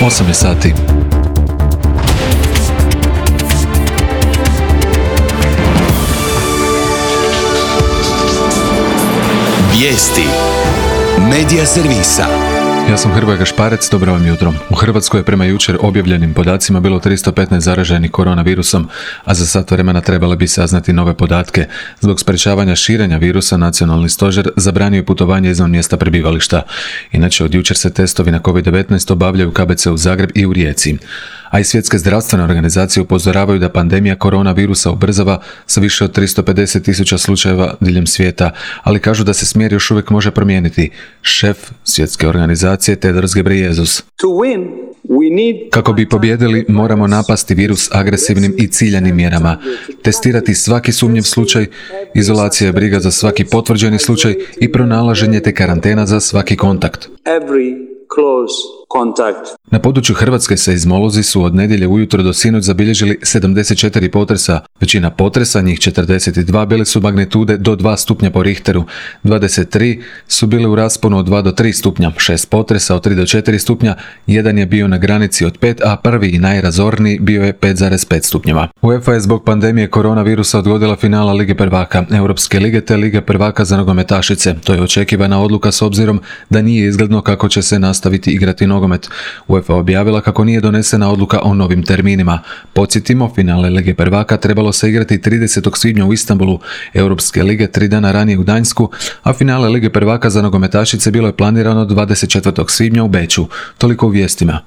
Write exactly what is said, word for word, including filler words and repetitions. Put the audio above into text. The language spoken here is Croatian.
osam je sati. Vijesti Medija servisa. Ja sam Hrvoje Gašparec, dobro vam jutro. U Hrvatskoj je prema jučer objavljenim podacima bilo tristo petnaest zaraženih koronavirusom, a za sat vremena trebale bi saznati nove podatke. Zbog sprečavanja širenja virusa, Nacionalni stožer zabranio je putovanje izvan mjesta prebivališta. Inače, od jučer se testovi na kovid devetnaest obavljaju u K B C u Zagreb i u Rijeci. A i svjetske zdravstvene organizacije upozoravaju da pandemija koronavirusa ubrzava sa više od tristo pedeset tisuća slučajeva diljem svijeta, ali kažu da se smjer još uvijek može promijeniti. Šef svjetske organizacije Tedros Ghebreyesus. Kako bi pobjedili, moramo napasti virus agresivnim i ciljanim mjerama, testirati svaki sumnjiv slučaj, izolacija je briga za svaki potvrđeni slučaj i pronalaženje te karantena za svaki kontakt. Na području Hrvatske seizmolozi su od nedjelje ujutro do sinoć zabilježili sedamdeset četiri potresa. Većina potresa, njih četrdeset dva, bile su magnitude do dva stupnja po Richteru, dvadeset tri su bile u rasponu od dva do tri stupnja, šest potresa od tri do četiri stupnja, jedan je bio na granici od pet, a prvi i najrazorniji bio je pet zarez pet stupnjeva. UEFA je zbog pandemije koronavirusa odgodila finala Lige prvaka, Europske lige te Lige prvaka za nogometašice. To je očekivana odluka s obzirom da nije izgledno kako će se nastaviti igrati nogomet. UEFA objavila kako nije donesena odluka o novim terminima. Podsjetimo, finale Lige prvaka trebalo se igrati tridesetog svibnja u Istanbulu, Europske lige tri dana ranije u Gdansku, a finale Lige prvaka za nogometašice bilo je planirano dvadeset četvrtog svibnja u Beču. Toliko u vijestima.